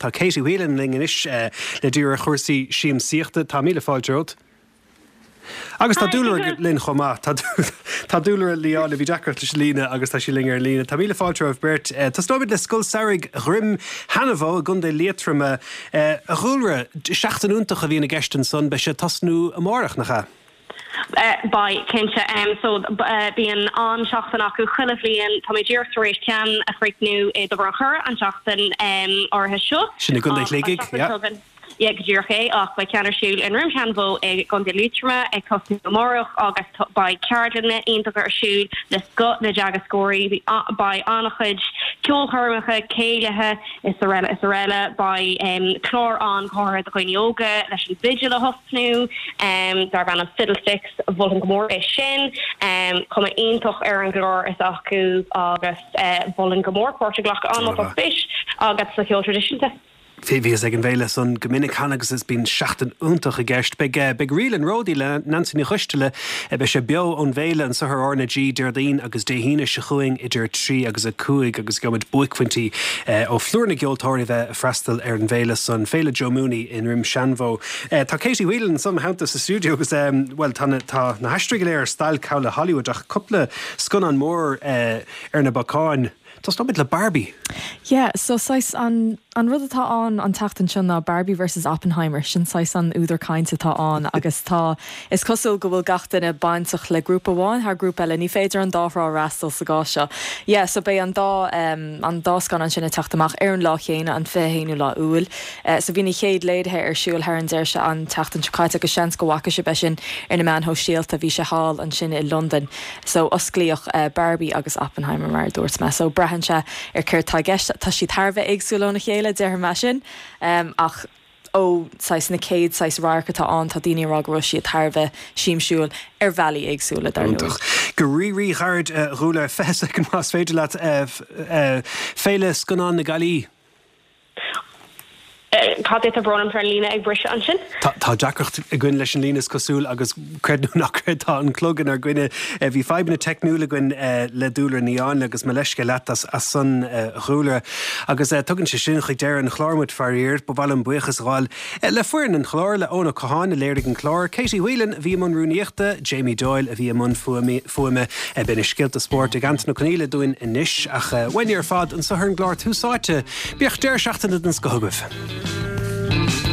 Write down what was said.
Tá Katie Whelan linn anois le díriú ar chúrsaí siamsaíochta. Tá míle fáilte romhat. Agus tá Dúlra linn chomh maith. Tá Dúlra Ní Áinle, bhí deacracht leis an líne agus tá sí linn ar an líne. Tá míle fáilte romhaibh beirt. Tosnóimid le Scoil Samhraidh Dhroim Sheanbhó i gContae Liatroma. A Dhúlra, seachtain iontach a bhíonn i gceist ansan, beidh sé ag tosnú amárach, nach ea? Beidh, cinnte. So, bíonn an-seachtain acu chuile bhliain. Tá mé díreach tar éis ceann a chríochnú i dTobar an Choire an tseachtain áirithe seo. Sin i gContae Shligigh, yeah. Yeah, go díreach é, ach beidh ceann ar siúl i nDroim Sheanbhó i gContae Liatroma ag tosnú amárach agus beidh ceardlanna iontacha ar siúl le scoth na dteagascóirí, beidh an-chuid ceolchoirmeacha, céilithe is araile is araile. Beidh clár ann go háirithe do dhaoine óga leis an bhfidil a thosnú darb ainm Fiddlesticks, mholfainn go mór é sin. Cuma iontach ar an gclár atá acu agus mholfainn go mór páirt a ghlacadh ann má tá spéis agat sa cheol traidisiúnta. Bhíos ag an bhféile san go minic cheana agus is bíonn seachtain iontach i gceist. Beidh beidh Ríl an Ródaí le Neansaí Ní Choisteala, beidh sé beo ón bhféile anso ar R na G Déardaoin agus Dé hAoine seo chugainn idir 3 agus 5 agus gheobhaimid buaicphointí ó phlúr na gceoltóirí a bheidh ag freastal ar an bhféile san, Féile Joe Mooney i nDroim Seanbhó. Tá Katie Whelan anso i mo theannta sa stiúideo agus bhuel tá na tá na haisteoirí go léir ar stailc thall i Hollywood ach cúpla scannán mór ar na bacáin. Tosnóimid le Barbie. Yeah, so saghas an, an rud atá ann an tseachtain seo ná Barbie versus Oppenheimer, sin saghas an údar cainte atá ann agus tá, is cosúil go bhfuil gach duine bainteach le grúpa amháin thar grúpa eile, ní féidir an dá thrá a fhreastal sa gcás seo. Yeah, so beidh an dá, an dá scannán sin ag teacht amach ar an lá chéanna, an 21ú lá Iúil. So bhí na chéad léirithe ar siúl thar an deireadh se, an tseachtain seo caite agus seans go bhfaca sibh é sin ar na meáin shóisialta, bhí sé thall ansin i Londain. So, osclaíodh Barbie agus Oppenheimer, mar a dúirt mé. So, braitheann sé ar céard tá i gceist. Tá siad thar a bheith éagsúil óna chéile, déarfaidh mé sin. Ach ó saghas na céad saghas radharc atá ann, tá daoine ag rá go raibh siad thar a bheith siamsiúil ar bhealaí éagsúla, dar ndóigh. Iontach. Go rí-rí-ghairid, a Dhúlra, 20 soicind más féidir leat, Féile Scannán na Gaillimhe. Cad é tá brón orm tá an líne ag briseadh ansin. Tá deacracht againn leis an líne is cosúil agus creid nó ná creid tá an clog inár gcoinne. Bhí fadhbanna teicniúla againn le Dúlra Ní Áinle agus mo leithscéal leat as san a Dhúlra. Agus tugann sé sin chuig deireadh an chláir muid faraor. Ba mhaith liom buíochas a ghabháil Le foireann an chláir, le Eoin Ó Catháin a léirigh an clár, Katie Whelan a bhí i mbun rúnaíochta, Jamie Doyle a bhí i mbun fuaime, beidh na scéalta spóirt ag Antain Ó Conghaile dúinn anois, ach uainne ar fad anso ar an gclár Tús Áite, bíodh deireadh seachtaine den scoth agaibh.